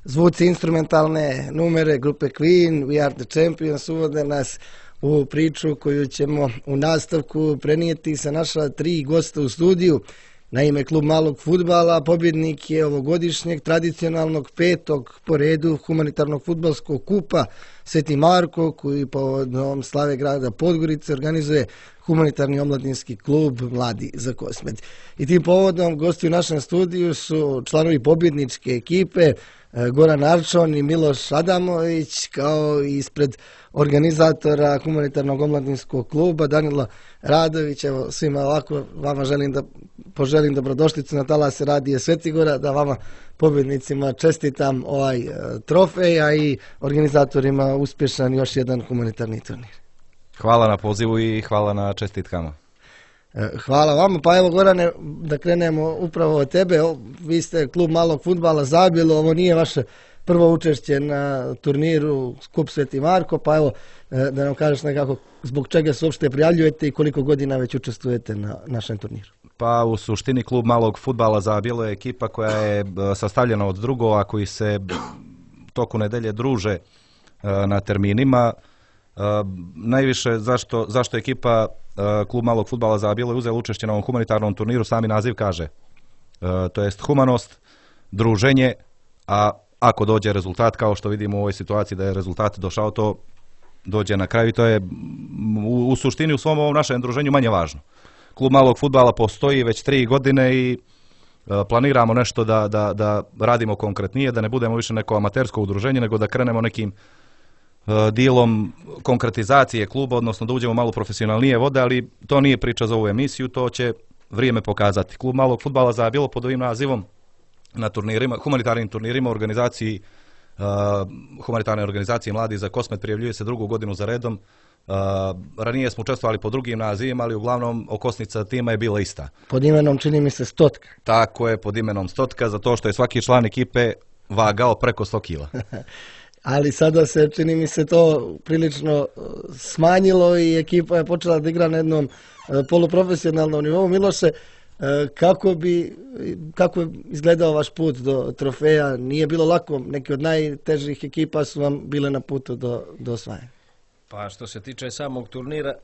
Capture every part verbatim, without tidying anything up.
zvuci instrumentalne numere grupe Queen, We Are The Champions, uvode nas u priču koju ćemo u nastavku prenijeti sa naša tri gosta u studiju. Naime, klub malog fudbala pobjednik je ovogodišnjeg tradicionalnog petog po redu humanitarnog fudbalskog kupa Sveti Marko, koji povodom slave grada Podgorice organizuje humanitarni omladinski klub Mladi za Kosmet. I tim povodom gosti u našem studiju su članovi pobjedničke ekipe Goran Arčon i Miloš Adamović, kao i ispred organizatora humanitarnog omladinskog kluba Danilo Radović. Evo, svima ovako vama želim da poželim dobrodošlicu na talase Radija Svetigora, da vama pobjednicima čestitam ovaj trofej, a i organizatorima uspješan još jedan humanitarni turnir. Hvala na pozivu i hvala na čestitkama. Hvala vama. Pa evo, Gorane, da krenemo upravo od tebe. Vi ste klub malog fudbala Zabilo, ovo nije vaše prvo učešće na turniru Kup Sveti Marko, pa evo da nam kažeš nekako zbog čega se uopšte prijavljujete i koliko godina već učestvujete na našem turniru. Pa u suštini klub malog fudbala Zabilo je ekipa koja je sastavljena od drugova koji se toku nedelje druže na terminima. Najviše zašto, zašto ekipa klub malog fudbala Zabilo je uzela učešće na ovom humanitarnom turniru, sami naziv kaže. To jest humanost, druženje, a ako dođe rezultat, kao što vidimo u ovoj situaciji da je rezultat došao, to dođe na kraju i to je u, u suštini u svom ovom našem druženju manje važno. Klub malog fudbala postoji već tri godine i planiramo nešto da, da, da radimo konkretnije, da ne budemo više neko amatersko udruženje, nego da krenemo nekim dijelom konkretizacije kluba, odnosno da uđemo malo profesionalnije vode, ali to nije priča za ovu emisiju, to će vrijeme pokazati. Klub malog fudbala Zabilo pod ovim nazivom na turnirima, humanitarnim turnirima, organizaciji, uh, humanitarne organizacije Mladi za Kosmet prijavljuje se drugu godinu za redom. Uh, ranije smo učestvovali pod drugim nazivima, ali uglavnom okosnica tima je bila ista. Pod imenom čini mi se Stotka. Tako je, pod imenom Stotka, zato što je svaki član ekipe vagao preko sto kila. Ali sada se, čini mi se, to prilično smanjilo i ekipa je počela da igra na jednom poluprofesionalnom nivou. Miloše, kako bi, kako je izgledao vaš put do trofeja? Nije bilo lako, neki od najtežih ekipa su vam bile na putu do, do osvajanja. Pa što se tiče samog turnira,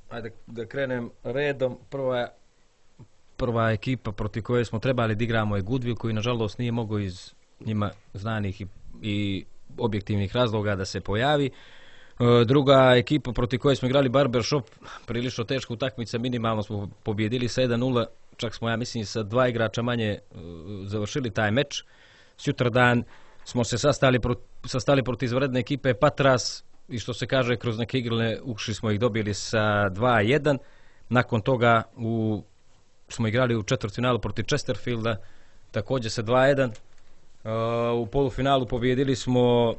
ajde da krenem redom, prva, prva ekipa protiv koje smo trebali da igramo je Goodwill, koji nažalost nije mogao iz njima znanih i, i objektivnih razloga da se pojavi. Druga ekipa protiv koje smo igrali Barbershop, prilično teška utakmica, minimalno smo pobjedili sa jedan nula, čak smo, ja mislim, sa dva igrača manje završili taj meč. Sutradan smo se sastali, sastali protiv izvanredne ekipe Patras i što se kaže kroz neke igrane ušli smo ih dobili sa dva jedan. Nakon toga u, smo igrali u četvrtfinalu protiv Chesterfielda, također sa dva jedan. U polufinalu pobjedili smo,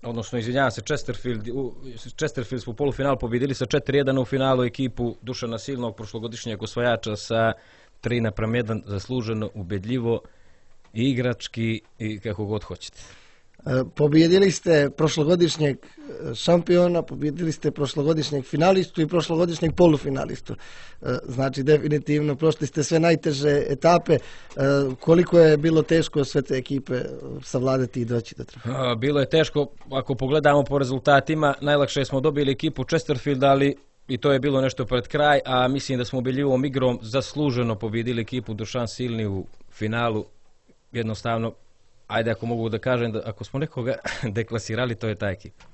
odnosno izvinjavam se, Chesterfield, u, Chesterfield smo u polufinalu pobjedili sa četiri jedan, u finalu ekipu Dušana Silnog, prošlogodišnjeg osvajača, sa tri naprema jedan, zasluženo, ubedljivo i igrački i kako god hoćete. Pobjedili ste prošlogodišnjeg šampiona, pobjedili ste prošlogodišnjeg finalistu i prošlogodišnjeg polufinalistu. Znači, definitivno, prošli ste sve najteže etape. Koliko je bilo teško sve te ekipe savladati i doći do trofeja? Bilo je teško, ako pogledamo po rezultatima, najlakše smo dobili ekipu Chesterfield, ali i to je bilo nešto pred kraj, a mislim da smo ubedljivom igrom zasluženo pobjedili ekipu Dušan Silni u finalu. Jednostavno, ajde, ako mogu da kažem, da ako smo nekoga deklasirali, to je ta ekipa.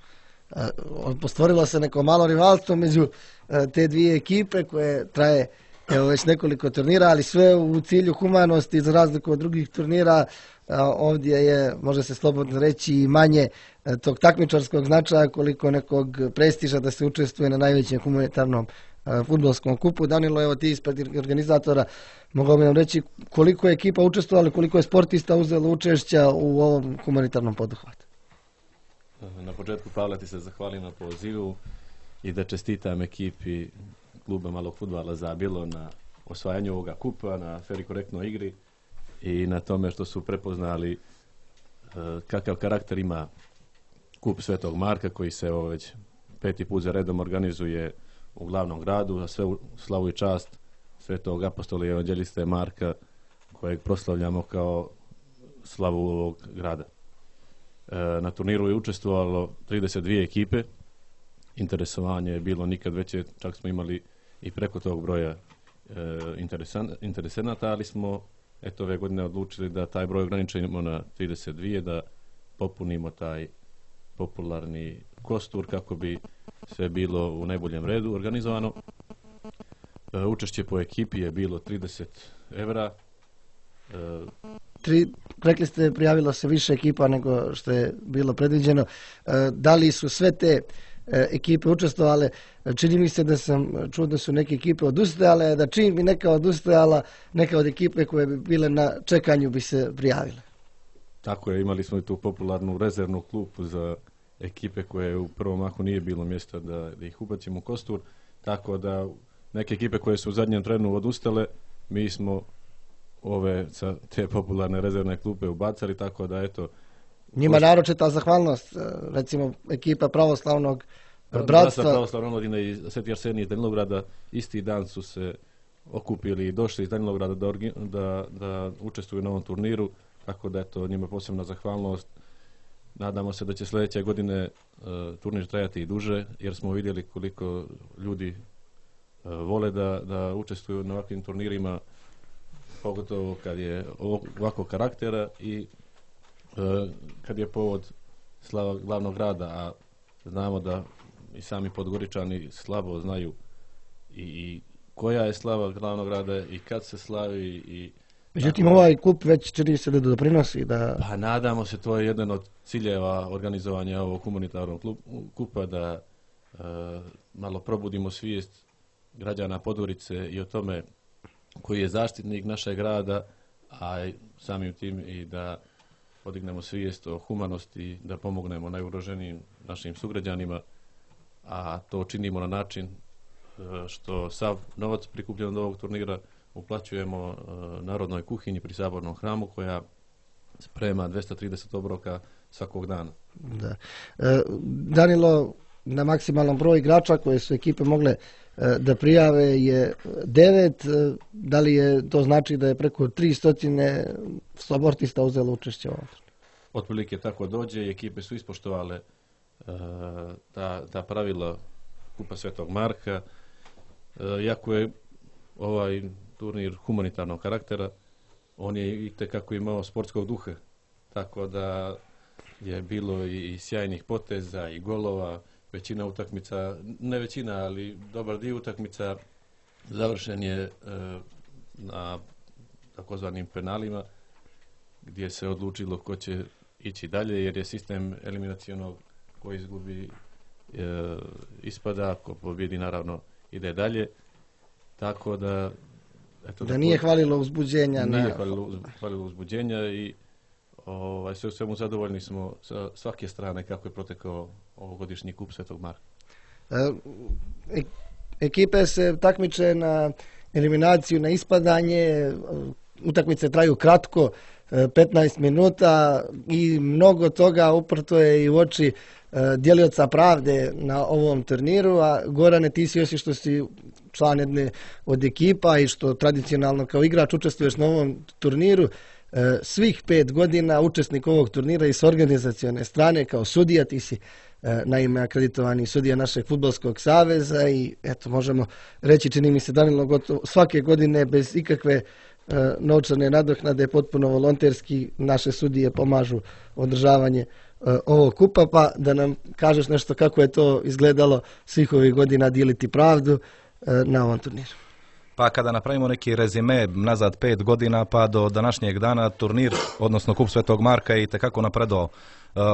Postvorilo se neko malo rivalstvo među te dvije ekipe koje traje evo, već nekoliko turnira, ali sve u cilju humanosti, za razliku od drugih turnira. Ovdje je, može se slobodno reći, i manje tog takmičarskog značaja koliko nekog prestiža da se učestvuje na najvećem humanitarnom fudbalskom kupu. Danilo, evo ti ispred organizatora, mogao bi nam reći koliko je ekipa učestvovala, koliko je sportista uzelo učešća u ovom humanitarnom poduhvatu? Na početku, Pavle, ti se zahvalim na pozivu i da čestitam ekipi kluba malog fudbala Zabilo na osvajanju ovoga kupa, na fer i korektnoj igri i na tome što su prepoznali kakav karakter ima kup Svetog Marka, koji se ovo već peti put za redom organizuje u glavnom gradu, za sve slavu i čast Svetog apostola i evanđeliste Marka, kojeg proslavljamo kao slavu ovog grada. Na turniru je učestvovalo trideset dvije ekipe. Interesovanje je bilo nikad veće, čak smo imali i preko tog broja interesenata, ali smo eto ove godine odlučili da taj broj ograničimo na trideset dvije, da popunimo taj popularni kostur kako bi sve bilo u najboljem redu organizovano. Učešće po ekipi je bilo trideset evra. Tri, rekli ste, prijavilo se više ekipa nego što je bilo predviđeno. Da li su sve te ekipe učestvovale? Čini mi se da sam čuo da su neke ekipe odustajale, da čim bi neka odustajala, neka od ekipe koje bi bile na čekanju bi se prijavile. Tako je, imali smo i tu popularnu rezervnu klupu za ekipe koje u prvom mahu nije bilo mjesta da, da ih ubacimo u kostur, tako da neke ekipe koje su u zadnjem trenu odustale, mi smo ove sa te popularne rezervne klupe ubacali, tako da eto... Njima naročita zahvalnost, recimo ekipa pravoslavnog bratstva. Bratstva pravoslavnog omladine i Sveti Arsenij iz Danilograda isti dan su se okupili i došli iz Danilograda da, da, da učestvuju na ovom turniru, tako da eto njima posebna zahvalnost. Nadamo se da će sljedeće godine uh, turnir trajati i duže, jer smo vidjeli koliko ljudi uh, vole da, da učestvuju na ovakvim turnirima, pogotovo kad je ovakvog karaktera i uh, kad je povod slava glavnog grada, a znamo da i sami Podgoričani slabo znaju i, i koja je slava glavnog grada i kad se slavi i Međutim, ovaj kup već čini se da doprinosi da... Pa nadamo se, to je jedan od ciljeva organizovanja ovog humanitarnog kupa, da e, malo probudimo svijest građana Podgorice i o tome koji je zaštitnik našeg grada, a samim tim i da podignemo svijest o humanosti, da pomognemo najugroženijim našim sugrađanima, a to činimo na način e, što sav novac prikupljen od ovog turnira uplaćujemo uh, Narodnoj kuhinji pri Sabornom hramu, koja sprema dvesta trideset obroka svakog dana. Da. E, Danilo, na maksimalan broj igrača koje su ekipe mogle e, da prijave je devet. E, da li je to znači da je preko tristo sportista uzelo učešće u ovom? Otprilike tako dođe i ekipe su ispoštovale e, ta, ta pravila Kupa Svetog Marka. E, iako je ovaj turnir humanitarnog karaktera, on je i tekako imao sportskog duha, tako da je bilo i sjajnih poteza i golova, većina utakmica, ne većina, ali dobar dio utakmica završen je e, na takozvanim penalima, gdje se odlučilo ko će ići dalje, jer je sistem eliminacionog ko izgubi e, ispada, ko pobjedi naravno ide dalje, tako da eto, da nije hvalilo uzbuđenja. Nije na... hvalilo, hvalilo uzbuđenja i ovaj, sve u svemu zadovoljni smo sa svake strane kako je protekao ovogodišnji kup Svetog Marka. E, ekipe se takmiče na eliminaciju, na ispadanje, utakmice traju kratko, petnaest minuta i mnogo toga uprto je i u oči djelioca pravde na ovom turniru, a Gorane, ti si osim što si član jedne od ekipa i što tradicionalno kao igrač učestvuješ na ovom turniru, svih pet godina učesnik ovog turnira i s organizacione strane kao sudija, ti si naime akreditovani sudija našeg fudbalskog saveza i eto možemo reći, čini mi se Danilo, gotovo svake godine bez ikakve novčane nadoknade, potpuno volonterski naše sudije pomažu održavanje ovog kupa, pa da nam kažeš nešto kako je to izgledalo svih ovih godina dijeliti pravdu na ovom turniru. Pa kada napravimo neki rezime nazad pet godina pa do današnjeg dana, turnir, odnosno kup Svetog Marka je itekako napredovao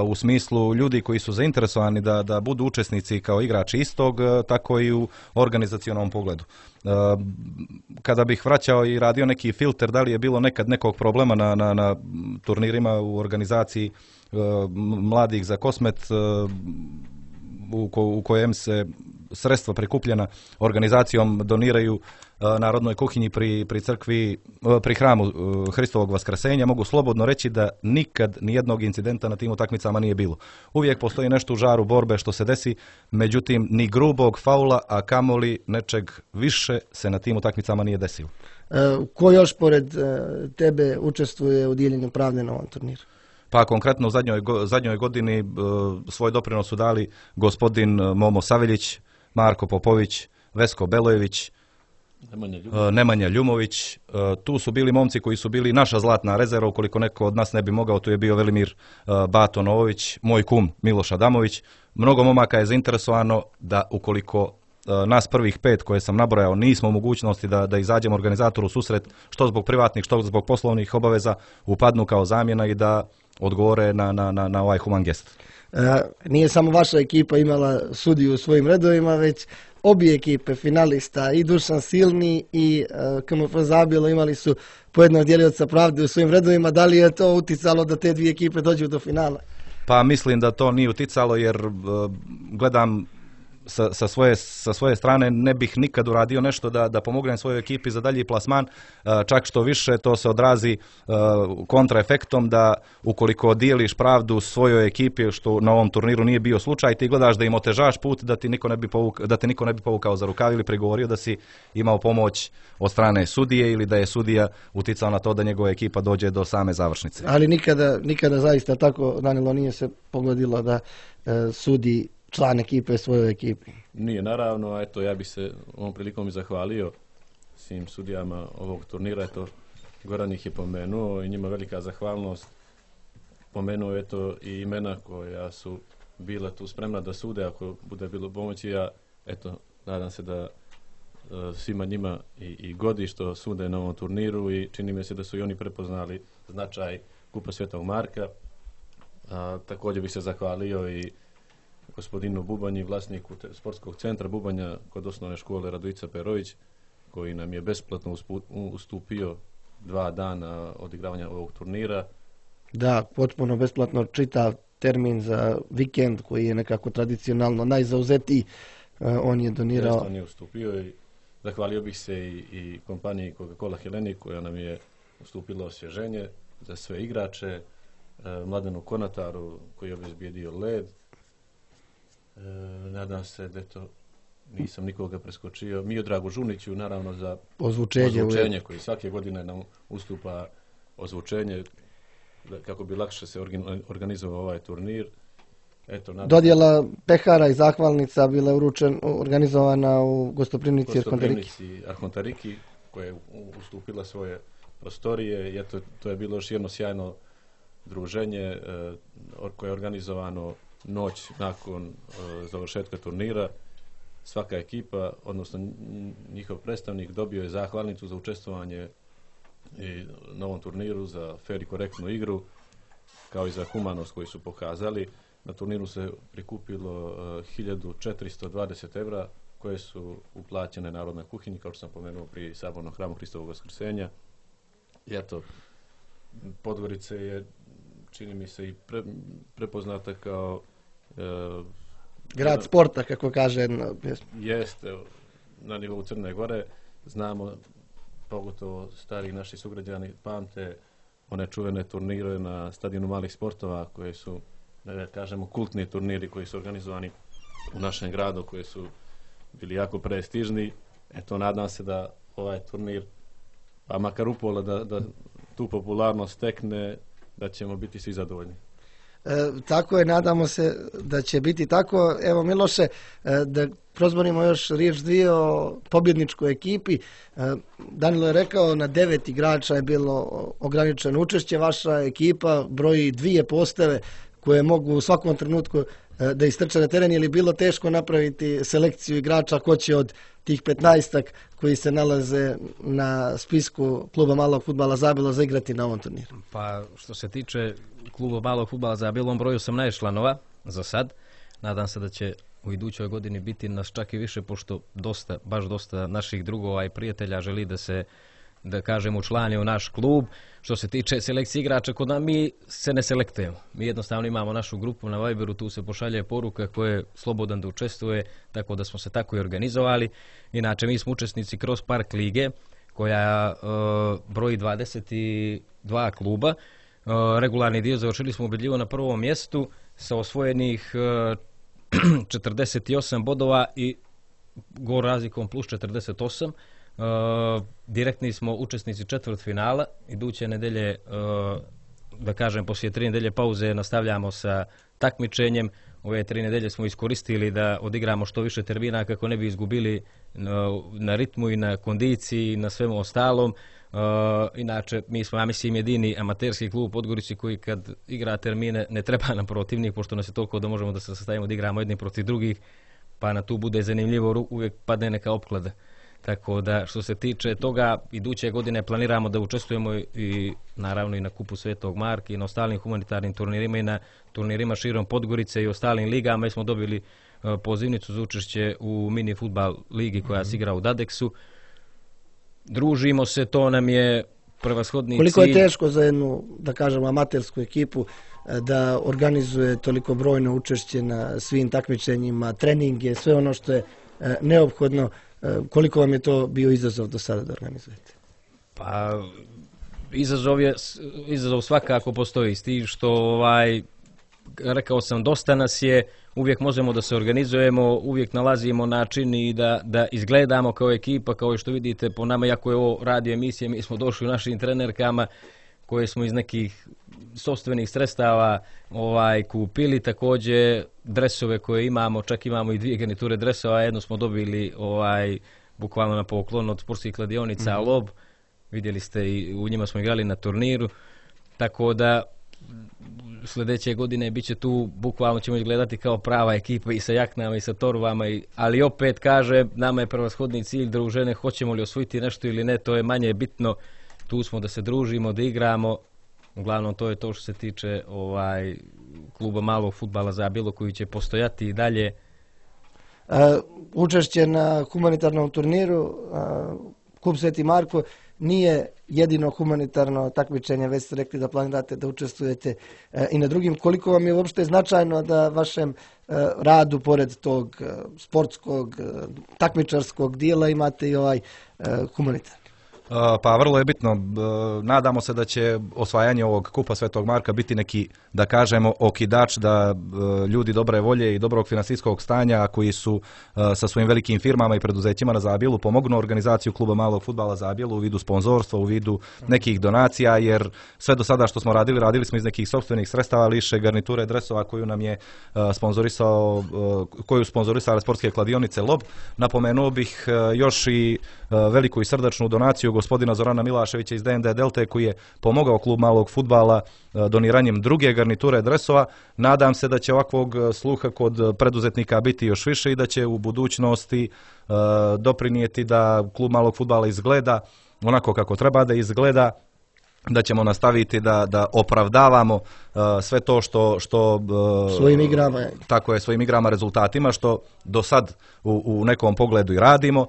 u smislu ljudi koji su zainteresovani da, da budu učesnici kao igrači istog, tako i u organizacionom pogledu. Kada bih vraćao i radio neki filter, da li je bilo nekad nekog problema na, na, na turnirima u organizaciji mladih za Kosmet, u, ko, u kojem se sredstva prikupljena organizacijom doniraju Narodnoj kuhinji pri, pri crkvi, pri hramu Hristovog Vaskrsenja, mogu slobodno reći da nikad nijednog incidenta na tim utakmicama nije bilo. Uvijek postoji nešto u žaru borbe što se desi, međutim ni grubog faula, a kamoli nečeg više se na tim utakmicama nije desilo. E, ko još pored e, tebe učestvuje u dijeljenju pravde na ovom turniru? Pa konkretno u zadnjoj, zadnjoj godini svoj doprinos su dali gospodin Momo Saveljić, Marko Popović, Vesko Belojević, Nemanja Ljumović. Nemanja Ljumović. Tu su bili momci koji su bili naša zlatna rezerva, ukoliko neko od nas ne bi mogao, tu je bio Velimir Bato Novović, moj kum Miloš Adamović. Mnogo momaka je zainteresovano da ukoliko nas prvih pet koje sam nabrojao nismo u mogućnosti da, da izađemo organizatoru u susret, što zbog privatnih, što zbog poslovnih obaveza, upadnu kao zamjena i da odgovore na, na, na, na ovaj human gest. E, nije samo vaša ekipa imala sudiju u svojim redovima, već obje ekipe finalista, i Dušan Silni i e, K M F Zabilo, imali su po jednog djelioca pravde u svojim redovima. Da li je to uticalo da te dvije ekipe dođu do finala? Pa mislim da to nije uticalo, jer e, gledam Sa, sa, svoje, sa svoje strane ne bih nikad uradio nešto da, da pomognem svojoj ekipi za dalji plasman, čak što više to se odrazi kontraefektom da ukoliko dijeliš pravdu svojoj ekipi, što na ovom turniru nije bio slučaj, ti gledaš da im otežaš put, da ti niko ne bi, povuk, da te niko ne bi povukao za rukav ili prigovorio da si imao pomoć od strane sudije ili da je sudija uticao na to da njegova ekipa dođe do same završnice. Ali nikada, nikada zaista tako, Danilo, nije se pogodilo da e, sudi član ekipe svojoj ekipi. Nije, naravno, a eto, ja bih se ovom prilikom i zahvalio svim sudijama ovog turnira, eto, Goran ih je pomenuo i njima velika zahvalnost. Pomenuo je eto i imena koja su bila tu spremna da sude, ako bude bilo pomoći, ja, eto, nadam se da uh, svima njima i, i godi što sude na ovom turniru i čini mi se da su i oni prepoznali značaj Kupa Svetog Marka. A, također bih se zahvalio i gospodinu Bubanji, vlasniku te, sportskog centra Bubanja kod osnovne škole Radojica Perović, koji nam je besplatno ustupio dva dana odigravanja ovog turnira. Da, potpuno besplatno, čitav termin za vikend koji je nekako tradicionalno najzauzetiji, on je donirao. Jeste, on je ustupio i zahvalio bih se i, i kompaniji Coca-Cola Hellenic koja nam je ustupila osvježenje za sve igrače, Mladenu Konataru koji je obezbijedio led. E, nadam se da to nisam nikoga preskočio. Miodragu Žuniću naravno za ozvučenje, ozvučenje koji svake godine nam ustupa ozvučenje kako bi lakše se organizovao ovaj turnir. Eto, nadam dodjela pehara i zahvalnica bila je uručen, organizovana u Gostoprimnici Arhontariki. Arhontariki koja je ustupila svoje prostorije i eto, to je bilo još jedno sjajno druženje e, koje je organizovano noć nakon e, završetka turnira. Svaka ekipa, odnosno njihov predstavnik, dobio je zahvalnicu za učestvovanje i na ovom turniru, za fer i korektnu igru, kao i za humanost koju su pokazali. Na turniru se prikupilo e, hiljadu četiristo dvadeset evra koje su uplaćene Narodnoj kuhinji, kao što sam pomenuo, pri Sabornom hramu Hristovog Vaskrsenja. I eto, Podgorica je, čini mi se, i pre, prepoznata kao e, grad sporta, kako kaže. Jeste, na nivou Crne Gore. Znamo, pogotovo stari naši sugrađani pamte one čuvene turnire na stadionu malih sportova koje su, da kažemo, kultni turniri koji su organizovani u našem gradu, koji su bili jako prestižni. Eto, nadam se da ovaj turnir, pa makar upola da, da tu popularnost stekne, da ćemo biti svi zadovoljni. E, tako je, nadamo se da će biti tako. Evo, Miloše, e, da prozborimo još riječ dvije o pobjedničkoj ekipi. E, Danilo je rekao, na devet igrača je bilo ograničeno učešće. Vaša ekipa broji dvije postave koje mogu u svakom trenutku e, da istrče na teren. Je li bilo teško napraviti selekciju igrača ko će od tih petnaestak koji se nalaze na spisku kluba malog fudbala Zabilo zaigrati na ovom turniru? Pa što se tiče kluba malog fudbala Zabilo, on broju osamnaest članova za sad. Nadam se da će u idućoj godini biti nas čak i više, pošto dosta, baš dosta naših drugova i prijatelja želi da se, da kažem, učlani u naš klub. Što se tiče selekcije igrača, kod nas mi se ne selektujemo. Mi jednostavno imamo našu grupu na Viberu, tu se pošalje poruka ko je slobodan da učestvuje, tako da smo se tako i organizovali. Inače, mi smo učesnici Cross Park lige, koja e, broji dvadeset dva kluba. E, regularni dio završili smo ubedljivo na prvom mjestu sa osvojenih e, četrdeset osam bodova i gol razlikom plus četrdeset osam. Uh, direktni smo učesnici četvrt finala, iduće nedelje uh, da kažem, poslije tri nedelje pauze nastavljamo sa takmičenjem. Ove tri nedelje smo iskoristili da odigramo što više termina kako ne bi izgubili na, na ritmu i na kondiciji i na svemu ostalom. Uh, inače, mi smo, ja mislim, jedini amaterski klub u Podgorici koji kad igra termine ne treba nam protivnik, pošto nas je toliko da možemo da se sastavimo da igramo jedni protiv drugih, pa na tu bude zanimljivo, uvijek padne neka opklada. Tako da, što se tiče toga, iduće godine planiramo da učestvujemo i naravno i na Kupu Svetog Marka i na ostalim humanitarnim turnirima i na turnirima širom Podgorice i ostalim ligama. Mi smo dobili uh, pozivnicu za učešće u mini fudbal ligi koja se igra u Dadeksu. Družimo se, to nam je prevashodni cilj. Koliko je teško za jednu, da kažem, amatersku ekipu da organizuje toliko brojno učešće na svim takmičenjima, treninge, sve ono što je neophodno. Koliko vam je to bio izazov do sada da organizujete? Pa, izazov je, izazov svakako postoji, s tim što, ovaj, rekao sam, dosta nas je, uvijek možemo da se organizujemo, uvijek nalazimo način i da, da izgledamo kao ekipa, kao što vidite po nama, iako je ovo radio emisije, mi smo došli u našim trenerkama koje smo iz nekih sopstvenih sredstava ovaj, kupili, također dresove koje imamo, čak imamo i dvije garniture dresova, jedno smo dobili ovaj, bukvalno na poklon od sportskih kladionica mm-hmm. Lob, vidjeli ste i u njima smo igrali na turniru, tako da sljedeće godine bit će tu, bukvalno ćemo izgledati kao prava ekipa i sa jaknama i sa torbama, i, ali opet kaže, nama je prevashodni cilj družene, hoćemo li osvojiti nešto ili ne, to je manje bitno, tu smo da se družimo, da igramo, uglavnom to je to što se tiče ovaj, kluba malog fudbala Zabilo koji će postojati i dalje. Uh, učešće na humanitarnom turniru, uh, Kup Sveti Marko, nije jedino humanitarno takmičenje, već ste rekli da planirate da učestvujete e, i na drugim. Koliko vam je uopšte značajno da vašem e, radu, pored tog e, sportskog, e, takmičarskog dijela, imate i ovaj e, humanitarni? Pa vrlo je bitno, nadamo se da će osvajanje ovog Kupa Svetog Marka biti neki, da kažemo, okidač da ljudi dobre volje i dobrog finansijskog stanja koji su sa svojim velikim firmama i preduzećima na Zabilu pomognu organizaciju kluba malog fudbala Zabilu u vidu sponzorstva, u vidu nekih donacija, jer sve do sada što smo radili, radili smo iz nekih sopstvenih sredstava, liše garniture dresova koju nam je sponzorisao, koju sponzorisale sportske kladionice Lob. Napomenuo bih još i veliku i srdačnu donaciju gospodina Zorana Milaševića iz D N D Delte koji je pomogao klub malog fudbala doniranjem druge garniture dresova. Nadam se da će ovakvog sluha kod preduzetnika biti još više i da će u budućnosti doprinijeti da klub malog fudbala izgleda onako kako treba da izgleda, da ćemo nastaviti da, da opravdavamo uh, sve to što, što uh, svojim igrama, tako je, svojim igrama, rezultatima, što do sad u, u nekom pogledu i radimo. Uh,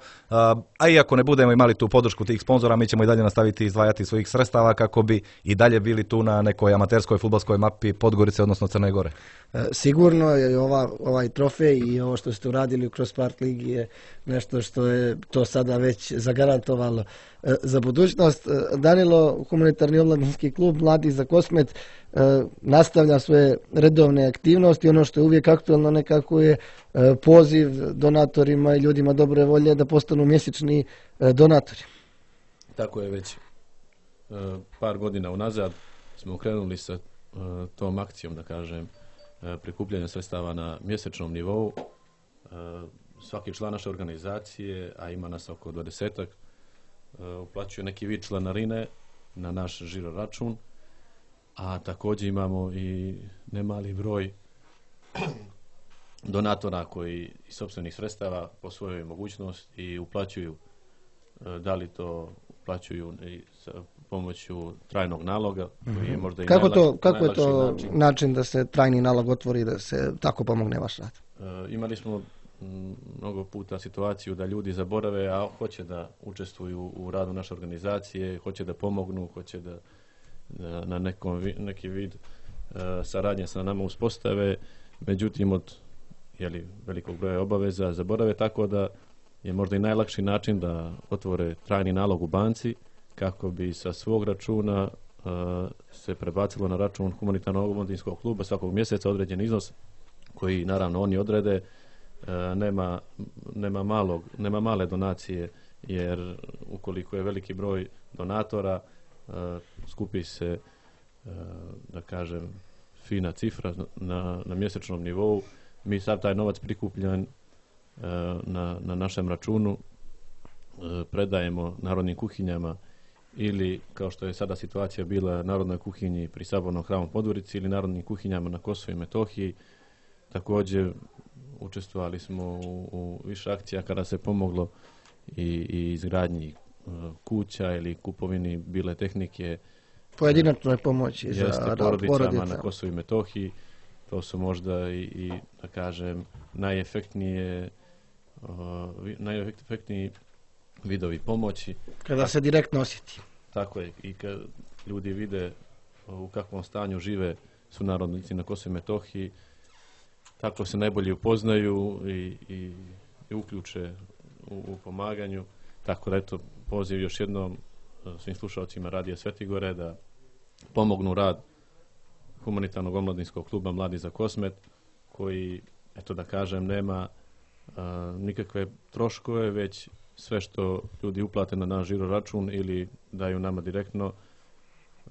a iako ne budemo imali tu podršku tih sponzora, mi ćemo i dalje nastaviti izdvajati svojih sredstava kako bi i dalje bili tu na nekoj amaterskoj fudbalskoj mapi Podgorice, odnosno Crne Gore. E, sigurno je ova, ovaj trofej i ovo što ste uradili u Cross Park Ligi je nešto što je to sada već zagarantovalo e, za budućnost. E, Danilo, humanitarni omladinski klub Mladi za Kosmet, e, nastavlja svoje redovne aktivnosti. Ono što je uvijek aktualno nekako je e, poziv donatorima i ljudima dobre volje da postanu mjesečni e, donatori. Tako je, već e, par godina unazad smo krenuli sa e, tom akcijom, da kažem, e, prikupljanja sredstava na mjesečnom nivou. E, svaki član naše organizacije, a ima nas oko dvadesetak, e, uplaćuje neki vid članarine na naš žiro račun, a također imamo i nemali broj donatora koji iz sopstvenih sredstava po svojoj mogućnosti i uplaćuju, da li to uplaćuju i sa pomoću trajnog naloga, koji je možda i kako najlakši, to, kako je to način. način da se trajni nalog otvori, da se tako pomogne vaš rad? E, imali smo m, mnogo puta situaciju da ljudi zaborave, a hoće da učestvuju u radu naše organizacije, hoće da pomognu, hoće da, da na nekom, neki vid e, saradnje sa nama uspostave, međutim od jeli, velikog broja obaveza zaborave, tako da je možda i najlakši način da otvore trajni nalog u banci kako bi sa svog računa uh, se prebacilo na račun humanitarnog omladinskog kluba svakog mjeseca određen iznos koji naravno oni odrede. Uh, nema, nema, malog, nema male donacije, jer ukoliko je veliki broj donatora uh, skupi se da kažem, fina cifra na, na mjesečnom nivou. Mi sad taj novac prikupljan na, na našem računu predajemo narodnim kuhinjama ili, kao što je sada situacija bila, narodnoj kuhinji pri Sabornom hramu Podgorici ili narodnim kuhinjama na Kosovu i Metohiji. Također učestvovali smo u, u više akcija kada se pomoglo i, i izgradnji kuća ili kupovini bile tehnike. Pojedinačnoj pomoći jeste, za porodicama porodica. na Kosovu i Metohiji. To su možda i, i da kažem, najefektnije uh, najefektniji vidovi pomoći. Kada se direktno osjeti. Tako je, i kad ljudi vide u kakvom stanju žive sunarodnici na Kosovu i Metohiji, tako se najbolje upoznaju i, i, i uključe u, u pomaganju. Tako da, eto, poziv još jednom svim slušalcima Radija Svetigore da pomognu rad humanitarnog omladinskog kluba Mladi za Kosmet, koji, eto da kažem, nema a, nikakve troškove, već sve što ljudi uplate na naš žiro račun ili daju nama direktno,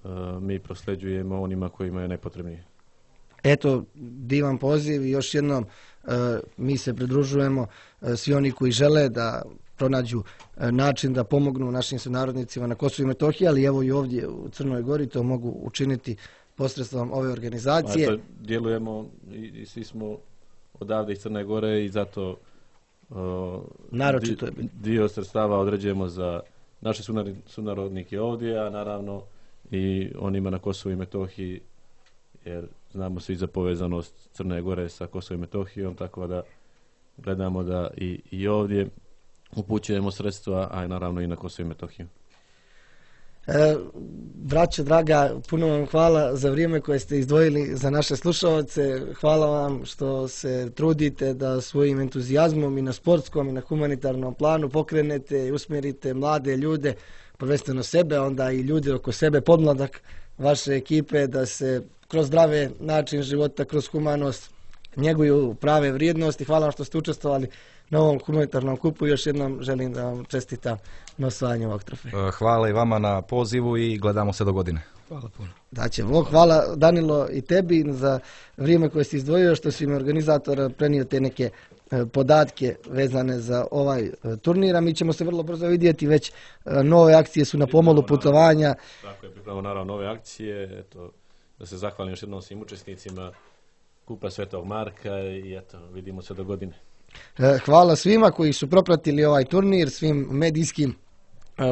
a, mi prosleđujemo onima kojima je najpotrebnije. Eto, divan poziv i još jednom e, mi se pridružujemo, e, svi oni koji žele da pronađu e, način da pomognu našim sunarodnicima na Kosovu i Metohiji, ali evo i ovdje u Crnoj Gori to mogu učiniti posredstvom ove organizacije. Pa, to djelujemo i, i svi smo odavde iz Crne Gore i zato o, Naročito je di, dio sredstava određujemo za naše sunarodnike ovdje, a naravno i onima na Kosovu i Metohiji, jer znamo svi za povezanost Crne Gore sa Kosovom i Metohijom, tako da gledamo da i, i ovdje upućujemo sredstva, a naravno i na Kosovo i Metohiju. E, braćo draga, puno vam hvala za vrijeme koje ste izdvojili za naše slušalce. Hvala vam što se trudite da svojim entuzijazmom i na sportskom i na humanitarnom planu pokrenete i usmjerite mlade ljude, prvenstveno sebe, onda i ljude oko sebe, podmladak vaše ekipe, da se kroz zdrave način života, kroz humanost njeguju prave vrijednosti. Hvala vam što ste učestvovali na ovom humanitarnom kupu. Još jednom želim da vam čestitam na osvajanju ovog trofeja. Hvala i vama na pozivu i gledamo se do godine. Hvala puno. Daće Bog. Hvala Danilo i tebi za vrijeme koje si izdvojio, što si mi organizator prenio te neke podatke vezane za ovaj turnir. Mi ćemo se vrlo brzo vidjeti, već nove akcije su na pomolu putovanja. Tako je, pripremamo naravno nove akcije. Eto, da se zahvalim još jednom svim učesnicima Kupa Svetog Marka i eto, vidimo se do godine. Hvala svima koji su propratili ovaj turnir, svim medijskim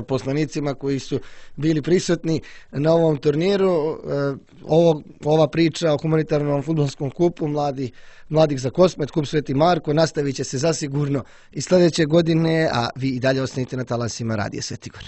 poslanicima koji su bili prisutni na ovom turniru. Ovo, ova priča o humanitarnom fudbalskom kupu Mladi, Mladih za Kosmet, Kup Sveti Marko, nastavit će se zasigurno i sljedeće godine, a vi i dalje ostanite na talasima Radija Svetigor.